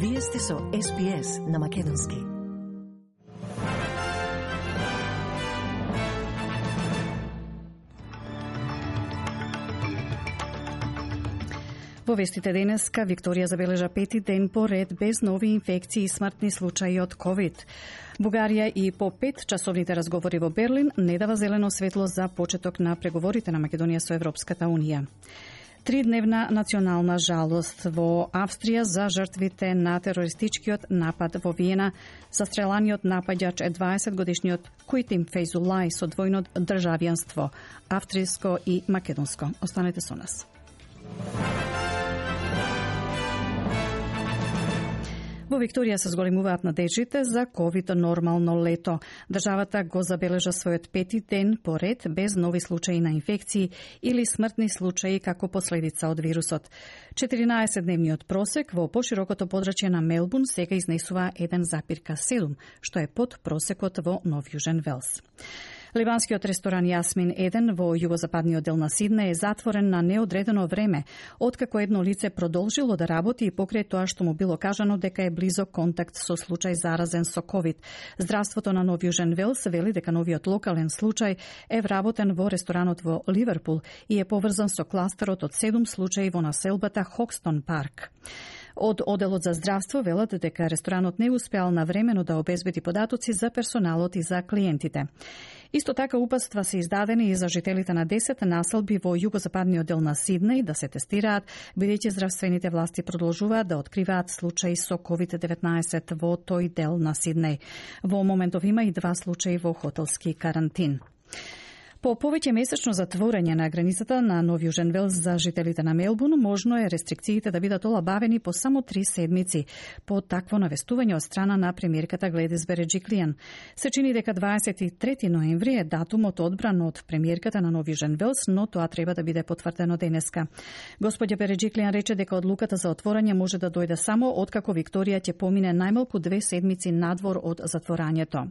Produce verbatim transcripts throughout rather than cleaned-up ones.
Вие сте со Ес Би Ес на Македонски. Во вестите денеска, Викторија забележа пети ден поред без нови инфекции и смртни случаи од ковид. Бугарија и по пет часовните разговори во Берлин не дава зелено светло за почеток на преговорите на Македонија со Европската Унија. Тридневна национална жалост во Австрија за жртвите на терористичкиот напад во Виена. Застреланиот напаѓач е дваесетгодишниот Куитим Фейзулај со двојно државјанство, австриско и македонско. Останете со нас. Во Викторија се зголемуваат надежите за ковид нормално лето. Државата го забележа својот пети ден поред без нови случаи на инфекции или смртни случаи како последица од вирусот. четиринаесетдневниот просек во поширокото подрачје на Мелбурн сега изнесува еден запирка седум, што е под просекот во Нов Јужен Велс. Ливанскиот ресторан Јасмин еден во југозападниот дел на Сиднеј е затворен на неодредено време, откако едно лице продолжило да работи и покрај тоа што му било кажано дека е близок контакт со случај заразен со ковид. Здравството на Нов Јужен Велс вели дека новиот локален случај е вработен во ресторанот во Ливерпул и е поврзан со кластерот од седум случаи во населбата Хокстон парк. Од Оделот за здравство велат дека ресторанот не успеал навремено да обезбеди податоци за персоналот и за клиентите. Исто така упатства се издадени и за жителите на десет населби во југозападниот дел на Сиднеј да се тестираат, бидејќи здравствените власти продолжуваат да откриваат случаи со ковид деветнаесет во тој дел на Сиднеј. Во моментов има и два случаи во хотелски карантин. По повеќе месечно затворање на границата на Нов Јужен Велс за жителите на Мелбурн, можно е рестрикциите да бидат олабавени по само три седмици. По такво навестување од страна на премиерката Гледис Береджиклијан. Се чини дека дваесет и трети ноември е датумот одбран од премиерката на Нов Јужен Велс, но тоа треба да биде потврдено денеска. Господја Береджиклијан рече дека одлуката за отворање може да дојде само откако Викторија ќе помине најмалку две седмици надвор од затворањето.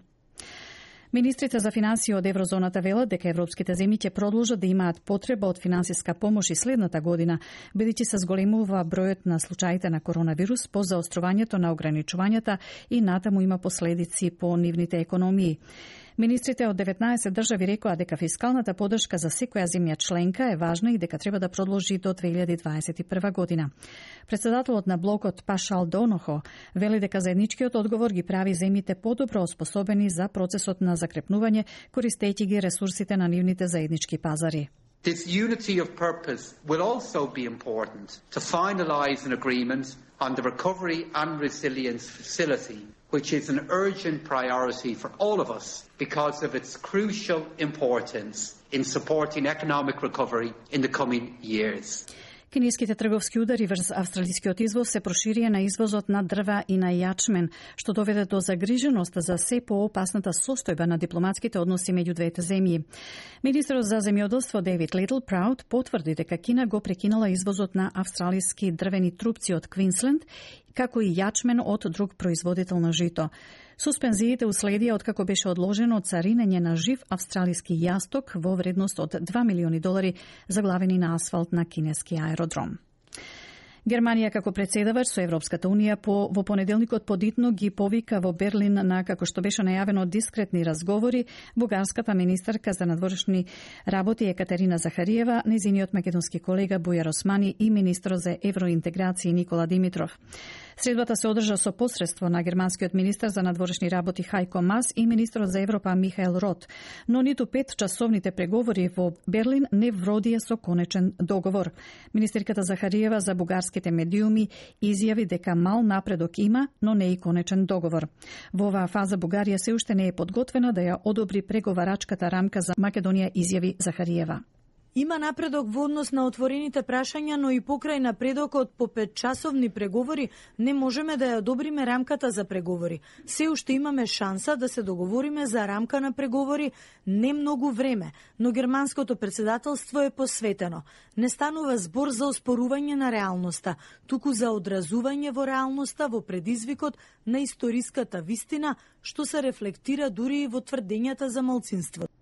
Министрите за финансии од еврозоната велат дека европските земји ќе продолжат да имаат потреба од финансиска помош и следната година, бидејќи се зголемува бројот на случаите на коронавирус по заострувањето на ограничувањата и натаму има последици по нивните економии. Министрите од деветнаесет држави рекоа дека фискалната поддршка за секоја земја членка е важна и дека треба да продолжи до две илјади дваесет и прва година. Председателот на блокот Пашал Донохо вели дека заедничкиот одговор ги прави земјите подобро оспособени за процесот на закрепнување, користејќи ги ресурсите на нивните заеднички пазари. This unity of purpose will also be important to finalise an agreement on the Recovery and Resilience Facility, which is an urgent priority for all of us because of its crucial importance in supporting economic recovery in the coming years. Кинеските трговски удари врз австралискиот извоз се проширија на извозот на дрва и на јачмен, што доведе до загриженост за се поопасната состојба на дипломатските односи меѓу двете земји. Министерот за земјоделство Дейвид Литл Прауд потврди дека Кина го прекинала извозот на австралиски дрвени трупци од Квинсленд, како и јачмен од друг производител на жито. Суспензиите уследија откако беше одложено царинење на жив австралиски јасток во вредност од два милиони долари заглавени на асфалт на кинески аеродром. Германија како председавач со Европската Унија по, во понеделникот подитно ги повика во Берлин на, како што беше најавено, дискретни разговори бугарската министарка за надворешни работи Екатерина Захариева, незиниот македонски колега Бујар Османи и министрот за евроинтеграција Никола Димитров. Средбата се одржа со посредство на германскиот министар за надворешни работи Хајко Мас и министрот за Европа Михаел Рот, но ниту пет часовните преговори во Берлин не вродија со конечен договор. Министерката Захариева за бугарските медиуми изјави дека мал напредок има, но не и конечен договор. Во оваа фаза Бугарија се уште не е подготвена да ја одобри преговарачката рамка за Македонија, изјави Захариева. Има напредок во однос на отворените прашања, но и покрај напредокот по петчасовни преговори не можеме да ја одобриме рамката за преговори. Се уште имаме шанса да се договориме за рамка на преговори не многу време, но германското председателство е посветено. Не станува збор за оспорување на реалноста, туку за одразување во реалноста во предизвикот на историската вистина, што се рефлектира дури и во тврдењата за малцинство.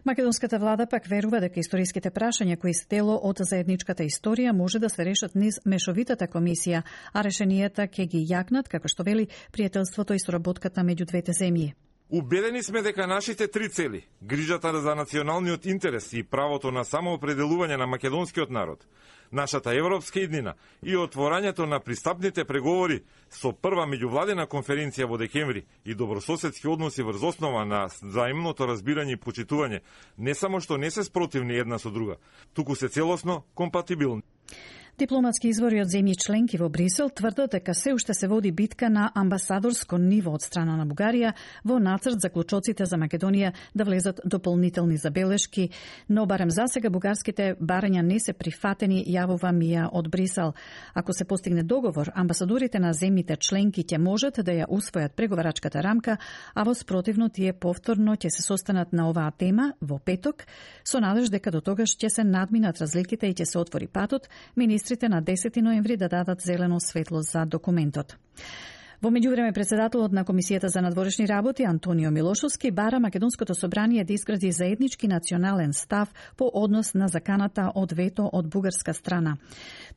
Македонската влада пак верува дека историските прашања кои се дело од заедничката историја може да се решат низ мешовитата комисија, а решенијата ќе ги јакнат, како што вели, пријателството и соработката меѓу двете земји. Убедени сме дека нашите три цели, грижата за националниот интерес и правото на самоопределување на македонскиот народ, нашата европска иднина и отворањето на пристапните преговори со прва меѓувладена конференција во декември и добрососедски односи врз основа на взаимното разбирање и почитување, не само што не се спротивни една со друга, туку се целосно компатибилни. Дипломатски извори од земји членки во Брисел тврдат дека се уште се води битка на амбасадорско ниво од страна на Бугарија во нацрт за клучоците за Македонија да влезат дополнителни забелешки, но барем засега бугарските барања не се прифатени, јавува Мија од Брисел. Ако се постигне договор, амбасадорите на земјите членки ќе можат да ја усвојат преговарачката рамка, а во спротивно тие повторно ќе се состанат на оваа тема во петок, со надеж дека до тогаш ќе се надминат разликите и ќе се отвори патот министрите на десети ноември да дадат зелено светло за документот. Во меѓувреме, председателот на Комисијата за надворешни работи Антонио Милошовски бара Македонското собрание да изгради заеднички национален став по однос на заканата од вето од бугарска страна.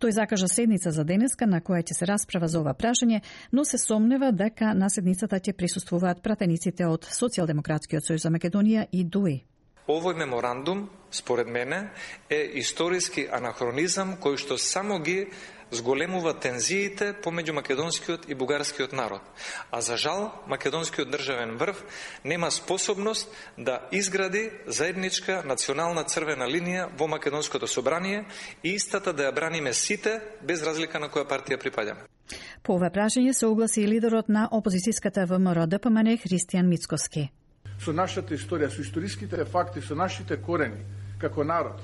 Тој закажа седница за денеска на која ќе се расправа за ова прашање, но се сомнева дека на седницата ќе присуствуваат пратениците од Социјалдемократскиот сојуз за Македонија и ДУИ. Овој меморандум, според мене, е историски анахронизам кој што само ги зголемува тензиите помеѓу македонскиот и бугарскиот народ. А за жал, македонскиот државен врв нема способност да изгради заедничка национална црвена линија во Македонското собрание и истата да ја браниме сите, без разлика на која партија припаѓаме. По ова прашање се огласи и лидерот на опозицијската ВМРО Д П М Н Христијан Мицкоски. Со нашата историја, со историските факти, со нашите корени, како народ,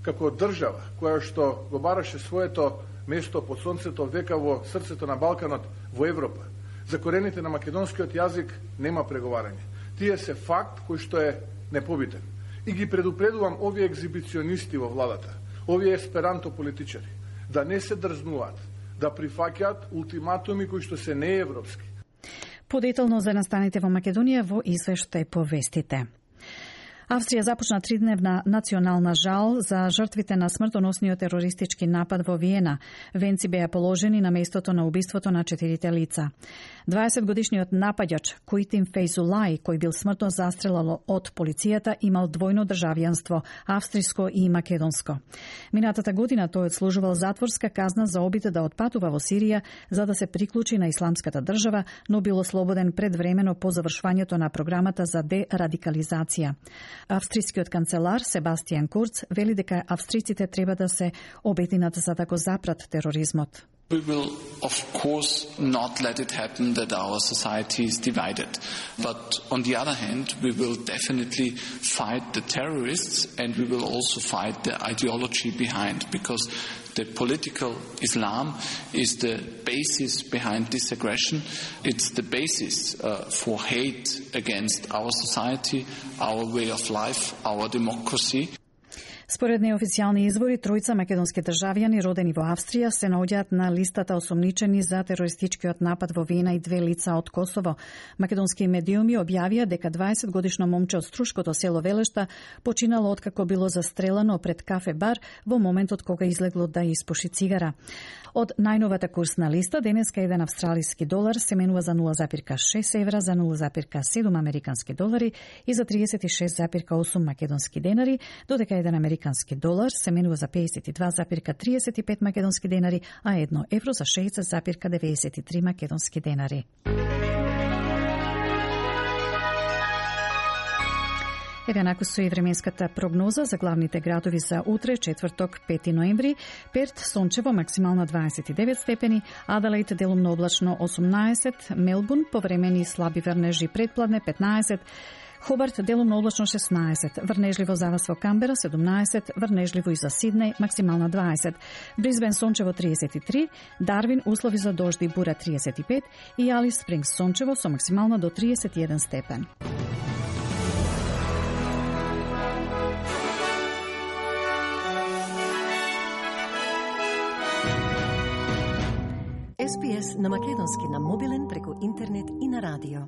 како држава, која што го бараше своето место под сонцето века во срцето на Балканот, во Европа. За корените на македонскиот јазик нема преговарање. Тие се факт кој што е непобитен. И ги предупредувам овие екзибиционисти во владата, овие есперанто политичари, да не се дрзнуваат, да прифаќаат ултиматуми кои што се неевропски. Подетално за настаните во Македонија во извештај по вестите. Австрија започна тридневна национална жал за жртвите на смртоносниот терористички напад во Виена. Венци беа положени на местото на убиството на четирите лица. дваесетгодишниот напаѓач Куитин Фейзулај, кој бил смртно застрелал од полицијата, имал двојно државјанство, австриско и македонско. Минатата година тој одслужувал затворска казна за обид да отпатува во Сирија за да се приклучи на исламската држава, но бил ослободен предвремено по завршувањето на програмата за дерадикализација. Австрискиот канцелар Себастијан Курц вели дека австриците треба да се обединат за да го запрат тероризмот. We will, of course, not let it happen that our society is divided. But on the other hand, we will definitely fight the terrorists and we will also fight the ideology behind, because the political Islam is the basis behind this aggression. It's the basis uh, for hate against our society, our way of life, our democracy. Според неофицијални извори, тројца македонски државјани родени во Австрија се наоѓаат на листата осомничени за терористичкиот напад во Виена и две лица од Косово. Македонски медиуми објавија дека дваесетгодишно момче од струшкото село Велешта починало откако било застрелано пред кафе бар во моментот кога излегло да испуши цигара. Од најновата курсна листа, денеска еден австралиски долар се менува за нула запирка шест евра, за нула запирка седум американски долари и за триесет и шест запирка осум македонски денари, додека еден американски долар се менува за пеесет и два запирка триесет и пет македонски денари, а едно евро за шеесет запирка деветдесет и три македонски денари. Еве накој со и временската прогноза за главните градови за утре, четврток, пети ноември. Перт сончево, максимално дваесет и девет степени, Аделаид делумно облачно осумнаесет, Мелбурн повремени слаби врнежи предпладне петнаесет, Хобарт делумно облачно шеснаесет, врнежливо за вас во Камбера седумнаесет, врнежливо и за Сиднеј максимална дваесет, Брисбен сончево триесет и три, Дарвин услови за дожди и бура триесет и пет и Алис Спрингс сончево со максимална до триесет и еден степен. Ес Би Ес на македонски на мобилен преку интернет и на радио.